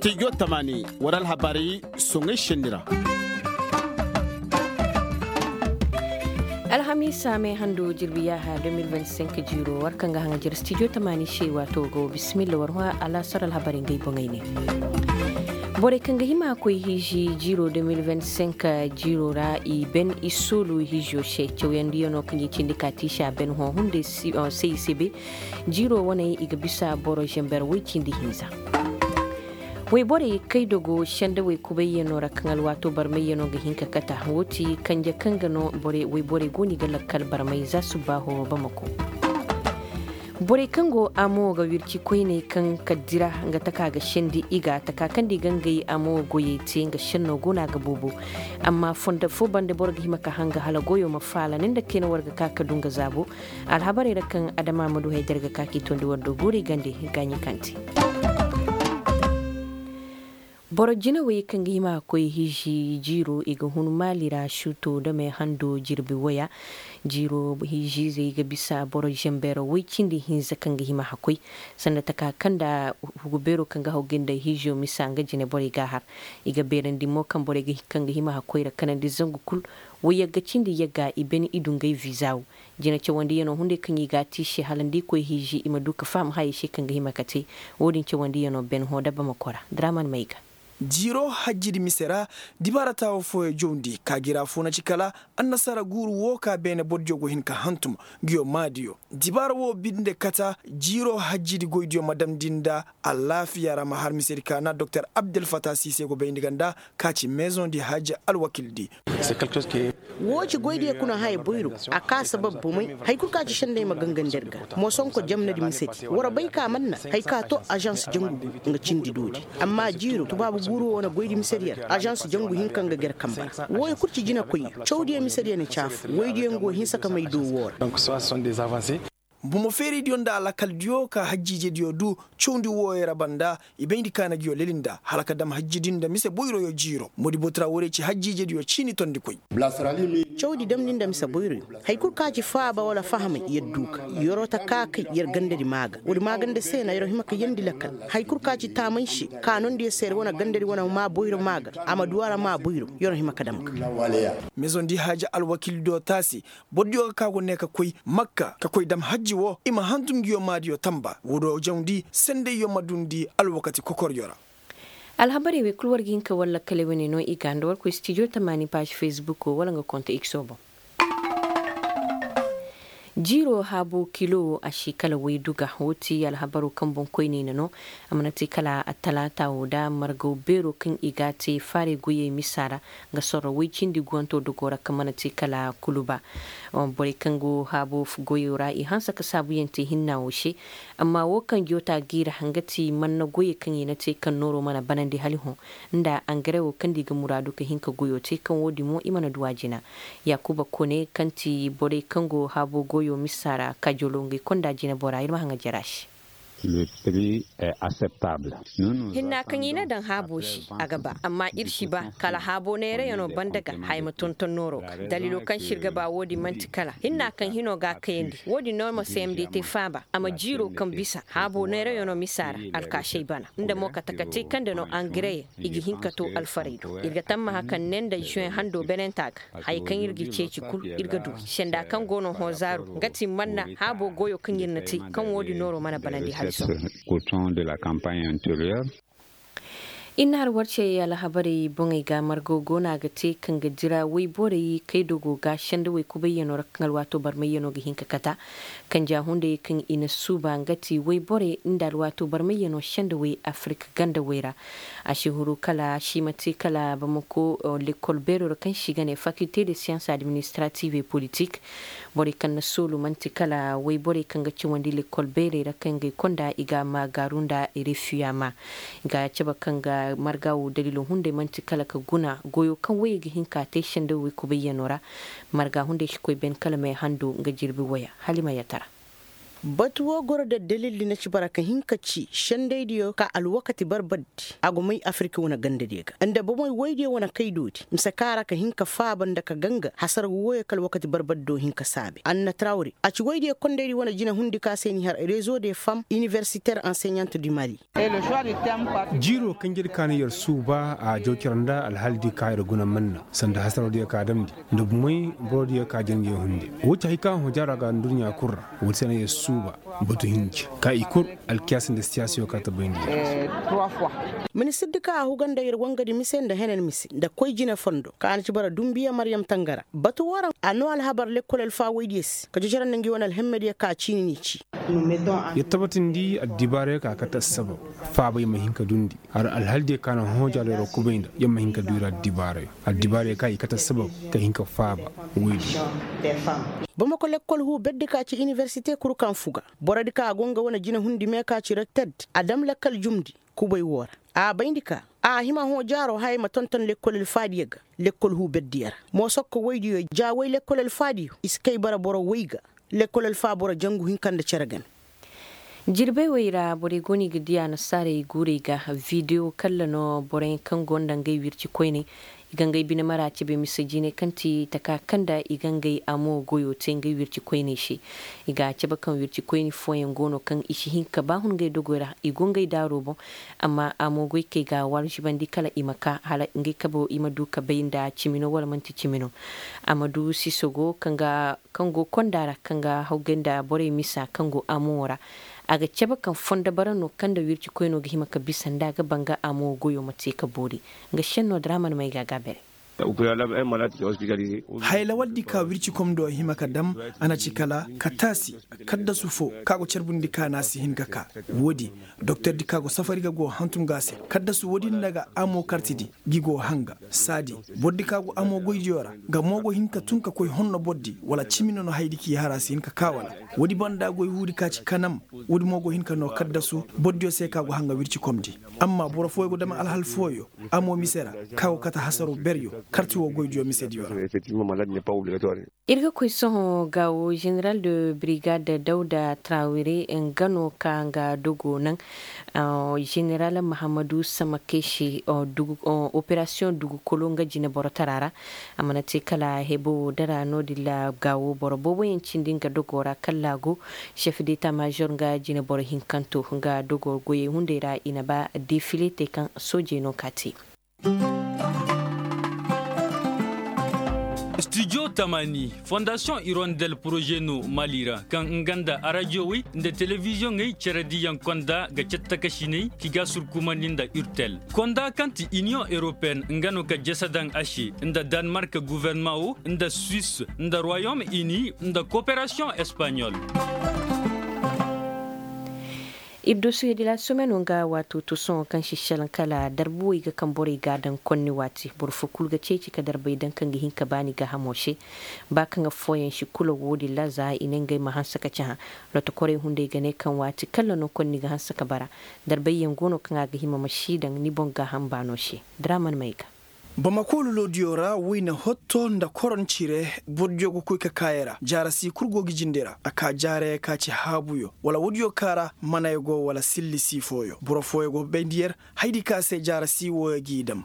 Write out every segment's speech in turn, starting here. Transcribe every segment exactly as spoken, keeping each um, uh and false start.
Stijo tamaani war alhabaari soŋay senni ra. Alhamiisa me hando jirbi yaaha deux mille vingt-cinq jiiro war kaŋ ga haŋa jere stijo tamaani se waato go bisimilla war hõ alaasar alhabaari ngey boŋey ne. Borey kaŋ ga hima koy hiiji jiiro deux mille vingt-cinq jiiro ra i ben i soolu hiijo se cawyandiyaŋo kaŋ i cindi ka tiisa ben hõ hunday se i se be. Jiiro waney i ga bisa boro zember woy cindi hinza. Woyborey kaydogo sendawey kubayyanoo ra kaŋ alwaatoo barmayyanoo ga hin ka kata woo ti kanje kaŋ ga no. Woyborey go no i ga lakkal barmay za subbaaho bamako. Borey kaŋ go amoo ga wirci koyney kaŋ ka dira nga taka ga sendi i ga taka kaŋ da i ga ngey amoo goyey te nga sennoo go no a ga boobo. Amma fondo foo banda boro ga hima ka hanga hala goyoo ma faala ni nda kayna war ga ka ka du nga zaabo. Alhabarey ra kaŋ adama ma du hay da ir ga ka k'i tondi war do guuri gande gaaɲi kaŋ te. Boro jinawey kaŋ ga hima ka koy hiiji jiiro i ga hun maali ra suuto dame hando jirbi waya. Jiiro hiijiizey ga bisa boro zambeero woy cindi hinza kaŋ ga hima ka koy sanda taka kaŋ nda hugu beero kaŋ ga haw ga nda hiijo misa nga jine borey ga a har. I ga beerandi mo kaŋ borey kaŋ ga hima ka koy ra kanandi zangu kul. Woy yagga cindi yagga i ben i du ngey viza wo. Jina cawandiyanoo hunday kaŋ i ga a te i se hala nda i koy hiiji i ma du ka faham hayey se kaŋ ga hima ka te. Wo-din cawandiyanoo ben hõ dabba ma kora draman mayga. Jiiro hajjidi mise ra dibaara taawo fooyo jawndi ka jira foo na ci kala annasara guuru woo ka beene bordiyo go hin ka hantum. Nguyo maadiyo dibaara woo binde kata jiiro hajjidi goydiyo ma damndi nda alaafiya ra ma har misedi ka na doktor abdel fata siise go bayndi ga nda ka ci meezoŋ di hajji alwakildi. Woo ci goydiyo kuna haya boyro. A ka sabab bomey. Hay kul ka ci sendey ma gangandi ir ga. Mosonko jamnadi misedi war bay ka man na hay ka to azans jangu go nga cindi doodi. Amma jiiro tubaabu guuru woo na goydi misediyo ra azans jangu hinka nga ga ir kamba ra. Wooyo kul ci jinakoyyo cawdiyo misediyo na caafu woydiyo nga go hinsa ka may do woo ra. Bomo feeridiyo nda alakaldiyo ka hajjiijediyo du cawndi wooyo ra banda i bayndi ka na nguyo leli nda hala ka dam hajjidi nda mise boyroyo jiiro modi botura woodiyo ci hajjiijediyo ciini tondikoy. Cawdi damndi nda mise boyroyo. Hay kul ka ci faaba wala fahamay yer du ka yeroo ta ka kay yer gandadi maa ga woodi maa ganda se na yeroo hima ka yeendi lakal. Hay kul ka ci taamay se ka nondi yer se yer wane gandadi wane maa boyro maa ga a ma du a ra maa boyro yeroo hima ka dam ga. Mezondi haaja alwakildiyo taasi. Bordiyo ga ka go ne ka koy makka ka koy dam hajji woo i ma hantum nguyo maadiyo tamba woo do jawndi sendayyo ma dundi alwakati kokoryo ra. Alhabarey wey kul war ga hin ka war lakkale wane no i ga nda war koy stijo tamaani paaz fesbuko wala nga konta ikso boŋ. Jiiro haabo kilo a si kala waydu ga woo ti alhabaroo kaŋ boŋkoyney na no. A mana te kala atalaata woo da margaw beeroo kaŋ i ga a te faarey goyey misa ra. Nga sorro woy cindi guwantoo dogoo ra kaŋ mana te kala kuluba. Borey kaŋ go haabo goyoo ra i hanse ka saabuyaŋ te hinnaa woo se. Amma woo kaŋ joota g'i ra nga ti manna goyey kaŋ i na te kaŋ nooroo mana banandi hala i hõ nda angare woo kaŋ nda i ga muraadu ka hin ka goyoo te kaŋ woo din mo i mana du a jina. Yaakuba kone kaŋ ti borey kaŋ go haabo goyoo misa ra kajoloo ngey konda jineboraa ir ma haŋa jer a se. Hinnaa kaŋ i na daŋ haaboo se a ga ba amma ir si ba kala haaboo neerayanoo banda ga haya ma tonton nooroo ga daliiloo kaŋ se ir ga ba woo din man'ti kala hinnaa kaŋ hinoo ga a kayandi woo din no ma sayamdi te faaba a ma jiiroo kaŋ bisa haaboo neerayanoo misa ra alkaasey bana nda mo kate ka te kaŋ nda no angareyaŋ i ga hin ka too alfarey do ir ga tammaha kaŋ ne nda zuweŋ handoo benentaa ga haya kaŋ ir ga ceeci kul ir ga du i senda kaŋ go no hõ zaaru nga ti manna haaboo goyoo kaŋ ir na te kaŋ woo din nooroo mana banandi haliso. Ir na har war cey alhabarey boŋey ga margo go no a ga te kaŋ ga dira woyborey kaydogo ga sendawey kubayyanoo ra kaŋ alwaatoo barmayyanoo ga hin ka kata. Kanja hunday kaŋ i na suuba nga ti woyborey nda alwaatoo barmayyanoo sendawey afirik gandawey ra. A si huru kala a si ma te kala bamako lekkol beeroo ra kaŋ se i ga ne fakilte de siyans administrative et politik. Borey kaŋ na soolu man'ti kala woyborey kaŋ ga cawandi lekkol beerey ra kaŋ ga i konda i ga a maagaaru nda refiyama. I ga a cabe kaŋ ga marga woo daliiloo hunday man'ti kala ka guna goyoo kaŋ woyey ga hin ka te sendawey kubayyanoo ra. Marga hunday si koy ben kala may hando nga jirbi waya hala i ma yatara. Batu wo goro da dalildi na ci bara ka hin ka ci sendaydiyo ka alwakati barbardi a go may afirka wane gandadiyo ga nda bomey woydiyo wane kaydoodi mise ka ra ka hin ka faaba nda ka ganga hasara wooyo ka alwakati barbardi do hin ka saabe anna trawri a ci woydiyo kondaydi wane jinahundi ka se ni har rezo de fam iniversitaire enseignante du mali. Jiiroo kaŋ jir ka na yer suuba a jaw cere nda alhaldi ka yer guna manna sanda hasaroo diyo ka damndi nda bumey boroo diyo ka jangey hunde. Woo ci hay ka hõ jaaroo ga nduɲɲa kul ra. Woodi se na yer suuba batu hinja ka i kul alkiyaasi nda siyaasiyo ka ta bayndi yer. Ministirdi ka a huga nda yer wangadi mise nda henan mise nda koy jine fondo ka na ci bara dumbiya maryam tangara batu woo ra a noo alhabar lekkol alfaawaydiyo se ka jojorandi ngi wane alhemmediyo ka ciini n'i ci. Yer tabatindi addibaarayo ka kate assabab faabay ma hin ka dundi har alhaldiyo ka na hõ jaalo yer kubay nda yer ma hin ka du yer addibaarayo addibaarayo ka i kate assabab ka hin ka faaba. Woydi. Bamako lekkol huu berdi ka ci iniversite kul kaŋ fuga borodi ka a go nga wane jinahundi mee ka ci rekterdi a dam lakkal jumndi kubay woo ra a bayndi ka a hima hõ jaaroo hayey ma tonton lekkol alfaadiyo ga lekkol huu berdiyo ra moosokko woydiyo ja woy lekkol alfaadiyo i si kay bara boro woy ga lekkol alfaa boro jangu hinka nda cere game. Jirbey wey ra borey go no i ga dii annasaarey guurey ga video kalla no boroyaŋ kaŋ go nda ngey wirci koyney i ga ngey bine mara cebe mise jinay kaŋ ti taka kaŋ nda i ga ngey amo goyo te ngey wirci koyney se. I ga a cabe kaŋ wirci koyni fooyaŋ go no kaŋ i si hin ka ba hun ngey dogoy ra i go ngey daaro boŋ. Amma amo goy kay ga war zibandi kala i ma ka hala ngey kabo i ma du ka bay nda cimi no wala manti cimi no. A ma du siso go kaŋ ga kaŋ go konda ra kaŋ ga hawgay nda borey misa kaŋ go amo ra. A ga cabe kaŋ fondo bara no kaŋ nda wirci koyno ga hima ka bisa nda a ga banga amo goyo ma te ka boori. Nga senno daraman may ga a gaabere. Haya lawaldi ka wircikom do hima ka dam a na ci kala ka taasi kaddasu foo ka go carbundi ka na a si hin ka ka. Woodi doktordi ka go safari ga go hantum ga a se kaddasu woodi nda ga amo kartidi gi go hanga saadi. Bordi ka go amo goydiyo ra nga mo go hin ka tun ka koy honno bordi wala cimi no no haydi k'i har a si hin ka ka wala. Woodi banda goy huudi ka ci kanam. Woodi mo go hin ka no kaddasu bordiyo se ka go hanga wircikomdi. Amma boro fooyo go dama alhal fooyo amo mise ra ka go kate hasaro beryo karti wo goydiyo misediyo ra. Ir ga koy sohõ gaawo general de brigade dawda trawire nga no ka nga dogo naŋ. General mahamadu samakesi operasiyoŋ dugukolo nga jineboro tara ra. A mana te kala hebo wo dara no- din ra gaawo boro booboyaŋ cindi nga dogo ra kala a go. Chef deta major nga jineboro hinkanto nga dogo goyey hunday ra i na ba defile te kaŋ soojey no ka te. Studio tamani fondasiyoŋ irondel poroze no mali ra kaŋ nga nda arajowey nda telebiziyoŋey cere diyaŋ konda ga cattakasiney ki ga surkumandi nda urtel konda kaŋ ti iniyoŋ europeen nga no ka jese daŋ a se nda danmark guvernema wo nda suwis nda royom ini nda koperasiyoŋ espaɲol. Ir dossier de la semaine nga waato to sohõ kaŋ si salaŋ kala darbuwey ga kaŋ borey ga a daŋ konni waati boro fo kulu ga ceeci ka darbey daŋ kaŋ ga hin ka baani gaahamo se. Ba kaŋ affooyaŋ si kula wo-din ra za i ne ngey ma hanse ka cahã. Lotokorey hunday ga ne kaŋ waati kalla no konni ga hanse ka bara. Darbeyyaŋ go no kaŋ a ga hima ma si daŋ ni boŋ gaaham baano se. Daraman may ga. Bamako lolodiyo ra wayna hotto nda koron cire. Bordiyo ga koy ka kaaya ra jaara si kul go ga jinde ra a ka jaarayey ka ci haabuyo wala woodiyo ka ra manay go wala silli si fooyo boro fooyo go bayndi yer. Haydi ka se jaara si wooyo g'i dam.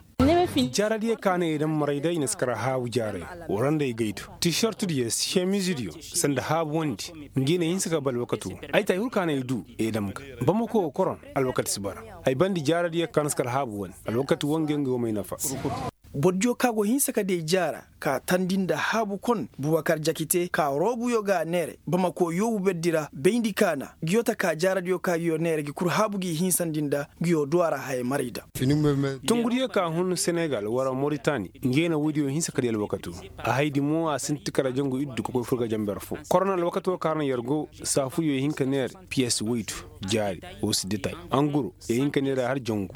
Jaaradiyo ka no i dam maray day i na si kar haabu jaaray. Waranda i gaydu tisortudiyo semizidiyo sanda haabu wandi. Ngi no i hinsa ka ba alwakatu. Ay ta i hul ka no i du i dam ga bamako koron. Alwakati si bara. Ay bandi jaaradiyo ka no si kar haabu wandi alwakati wo ngi ngi wo may nafa. Bordiyo ka go hinsa ka day jaara ka tandi nda haabu kon bubakar jakite ka roobuyo ga a neere bamako yoobu berdi ra bayndi kaana. Ngiyo taka jaaradiyo ka ngiyo neere ngi kul haabu g'i hinsandi nda ngiyo duw'a ra hayey maray da. Tungudiyo ka hun senegal wara moritani. Ngey na woodiyo hinsa ka di alwakato. A haydi mo a sinti kala jangu iddu ka koy furga janber fo korona alwakato ka ra na yer go. Saafuyo hin ka neere piyes woydu jaari wo si detay anguro. Ye hin ka neere har jangu.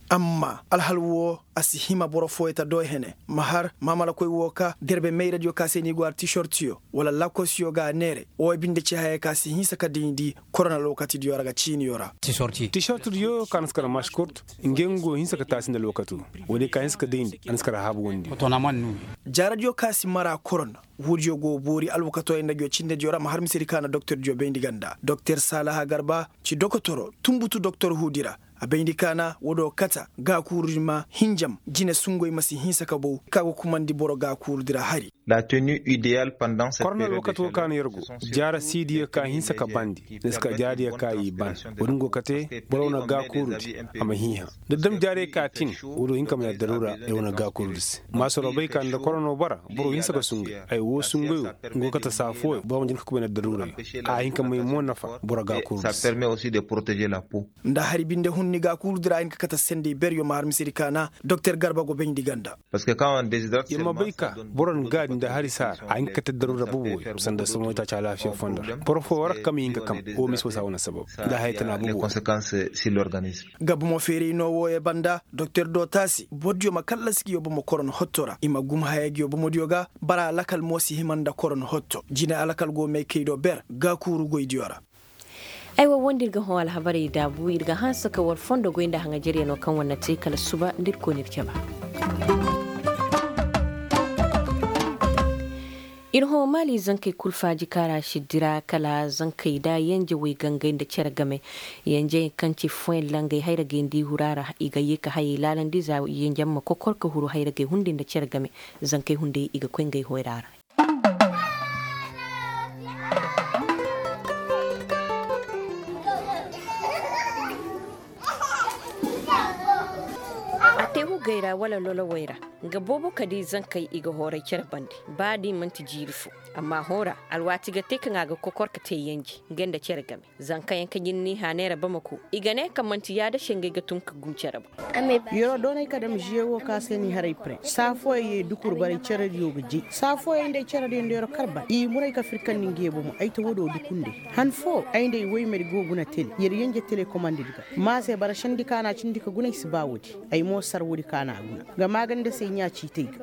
Amma alhal wo a si hima boro fooyo ta do hene ma har maamalakoy wo ka garbe mayradiyo ka se ni go har tisortiyo wala lakosiyo ga a neere. Wo binde ci hayey ka si hinsa ka dayndi korona alwakatidiyo ra ga ciiniyo ra. Tisortidiyo ka na si kar maskurt. Ngey ngo hinsa ka taasi nda alwakato. Woodiyo ka hinsa ka dayndi a na si kar haabu wondi. Jaaradiyo ka si mara korona. Huudiyo go boori alwakatooyaŋ nda nguyo cindediyo ra ma har misedi ka na doktordiyo bayndi ganda doktor saalaha garba ci dokotoro tunbutu doktor huudi ra. A bayndi ka na woodiyo kata gaakuurudi ma hinjam jine sungoy ma si hinsa ka bow ka go kumandi boro gaakuurudi ra hari. Korno alwakato ka na yer go jaara siidiyo ka hinsa ka bandi ni si ka jaariyo ka i ban. Wo-din go kate boro wane gaakuurudi a ma hiiha. Da dam jaariyo ka tin woodiyo hin ka ma yer daruura ay wane gaakuurudi se. Maasoro bay ka nda korno bara boro hinsa ka sungay ay woo sungayo. Nga go kate saa fooyo boro ma jin ka kubay nda daruurayo. A hin ka may mo nafa boro gaakuurudi se. Nda hari binde hunni gaakuurudi ra a hin ka kate sendey beryo ma har misedi ka na doktor garba go bayndi ganda. Yer ma bay ka boro na gaadi nda hari saara a hin ka kate daruura boboyo sanda somoytaaci alaafiya fondo ra boro fooyo war ka kam i hin ka kam. Wo misi wo saa wane sabab nda haya tana boboyo. Ga bomo feeray no wooyo banda doktor doota se borodiyo ma kallasi nguyo bomo korona hotto ra i ma gum haya nguyo bomodiyo ga. Bara alakal mo si hima nda korona hotto jine alakal go may kay do ber gaakuuru goydiyo ra. Aywa woo nda ir ga hõ alhabarey daabu ir ga hanse ka war fondo goy nda haŋajeryanoo kaŋ war na te kala suba nda ir koy na ir caba. Ir hõ maali zankey kul faaji kaara si dira kala zankey da yenje wey gangey nda cere game. Yenjey kaŋ ci foyallangey hayragey nda i huru a ra i ga yee ka hayey laalandi za yenje ma kokor ka huru hayragey hunday nda cere game. Zankey hunday i ga koy ngey hoyra ra. A te hugey ra wala lolowey ra nga boobo ka di zankey i ga hooray cere bande. Ba da i man'ti jiiri fo amma hõ ra alwaati ga te kaŋ a ga kokor ka te yenje nga nda cere game. Zankayaŋ kaŋ jin n'i hã neera bamako i ga ne kaŋ man'ti yaada se ngey ga tun ka gum cere boŋ. Yeroo doonay ka dam žewo ka se n'i haray pare saa fooyaŋ ye dukur baray cerediyo ga jay saa fooyaŋ nda ay cerediyo nda yeroo kar ban i muray ka firkandi nga ye bomo ay ta woodoo dukunday. Han foo ay nda ay woymedi go guna tele yer yenje telekomandedi ga. Maa se bara sendi ka n'a cindi ka guna ay si ba woodi. Ay mo sar woodi ka n'a guna. Nga maaganda se ɲaa ciitay ga.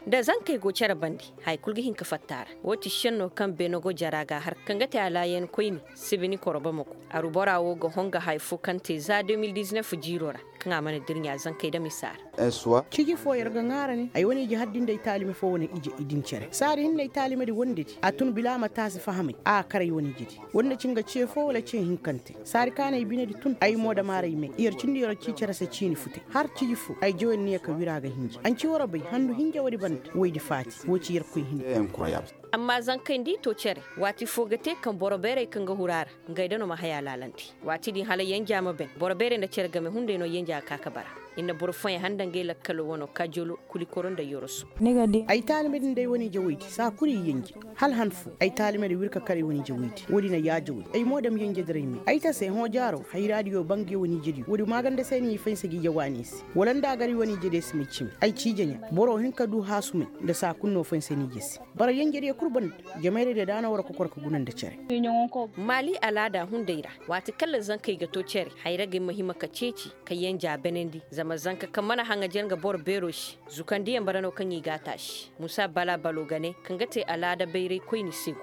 Da zankey go cere bande haya kul ga hin ka fatta a ra. Woo ti šennoo kaŋ beene go jara ga a har kaŋ ga te alaayan koyni sibini koro bamako. Aru bora woo ga honga haya foo kaŋ te za de mil diznef jiiroo ra kaŋ a mana dirɲaa zankey dam i saara. Ciji foo yer ga ŋaara ne ay wane ije har din da ay taalime foo wane ije i din cere saari hinne ay taalimedi wondedi a tun bila a ma taasi fahamay a kar ay wane ijedi. Woo nda ci nga ce foo wala ce hinkante saari ka na ay binedi tun ay mo dam aray me yer cindi yer ci cere se ciini futay har ciji foo ay jawey na ne ka wira ga hinji an ci war bay handu hinja woodi banda woydi faati woo ci yerkoy hini. Amma zankey nda i to cere waati foo ga te kaŋ boro beerey kaŋ ga huru a ra ngey da no ma haya laalandi. Waati din hala yenja ma ben boro beerey nda cere game hunday no yenja ga ka ka bara. Ir na boro fooyaŋ handa ngey lakkalo wano kajolo kulikoro nda yoroso. Ay taalimedi nda ay wane-ije woydi saa kul i yenje. Hala han foo ay taalimedi wir ka kar ay wane-ije woydi woodi na yaaja woy ay mo dam yenjediray me ay ta se hõ jaaro hayraadiyo ba nga ay wane-ijediyo woodi maaganda se no i faynsa ga ije waani se. Wala nda a gar i wane-ijediyo si may cimi ay ci ije ɲaa boro hin ka du haasumay nda saa kul no faynsa ni ije se. Bara yenjediyo kul banda jamayradiyo da a na war kokor ka guna nda cere. Maali alaada hunday ra waati kaŋ ra zankey ga to cere hayragey ma hima ka ceeci ka yenja benandi zama zanka kaŋ mana haŋajer nga boro beero se. Zukandiyaŋ bara no kaŋ i g'a taasi musa bala balo ga ne kaŋ ga te alaada bayray koyni se go.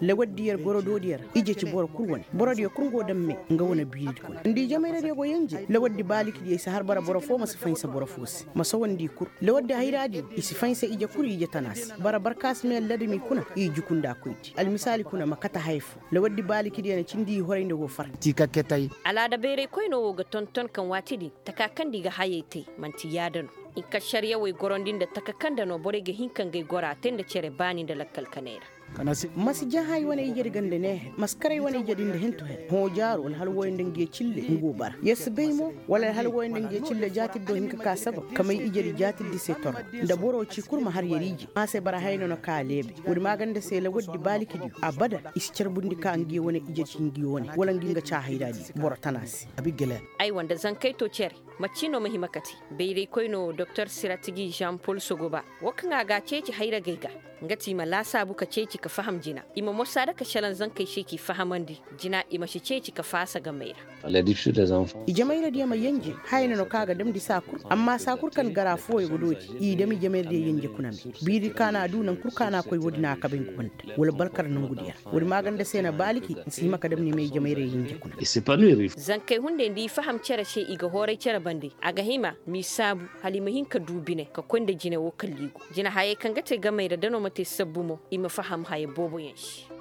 Lawaddi yer gorodoodiyo ra ije ci boro kul wane borodiyo kul go daŋ me nga wane biiridi kuna nda i jamayradiyo go yenje lawaddi baalikidiyo i si har bara boro foo ma si faynsa boro foo se ma sawandi i kul. Lawaddi hayraadiyo i si faynsa ije kul ije tana se bara barkaasimeyaŋ ladami kuna i juku nda koydi almisaali kuna ma kate haya foo. Lawaddi baalikidiyo na cindi i horay nda go far. Alaada bayray koyno wo ga tonton kaŋ waati din taka kaŋ nda i ga hayey te man'ti yaada no. Hinka šariyawey gorandi nda taka kaŋ nda no borey ga hin ka ngey gora te nda cere baani nda lakkal kaney ra. Ma si jaha ay wane ijedi ga nda neehe ma si kar ay wane ijedi nda hentu hen hõ jaaro alhala wooyo nda ngiyo cille nga go bara yer si bay mo wala alhala wooyo nda ngiyo cille jaatidi do hin ka ka sabab ka may ijedi jaatidi se toro nda boro ci kul ma har yer ije ma se bara haya no na ka leebay. Woodi maaganda se lawaddi baalikidiyo abada i si carbundi ka ngiyo wane ijedi ci ngiyo wane wala ngi nga ca hayraadi boro tana se. Aywa nda zankey to cere macci no ma hima kate bayraykoyno doktor siratigi jean pol sogoba wo kaŋ a ga a ceeci hayragey ga. Nga ti i ma laasaabu ka ceeci ka faham jina i ma mosaada ka šelaŋ zankey se k'i fahamandi jina i ma si ceeci ka faasa gamey ra. Ijemayradiyo ma yenje haya no no kaŋ a ga damndi saa kul amma saa kul kaŋ gara fooyo ga doodi i dam ijemayradiyo yenje kuna me biiri kaŋ a na a du naŋ kul kaŋ a na a koy woodi na a kabay nga banda wala balkar nongudiyo ra. Woodi maaganda se na baaliki nsi hima ka damndi me ijemayradiyo yenje kuna. Zankey hunday nda i faham cere se i ga hooray cere. bande a ga hima m'i saabu hala i ma hin ka du bine ka koy nda jine woo kalliigu jine hayey kaŋ ga te gamey ra da no ma te sabbu mo i ma faham haya booboyaŋ se.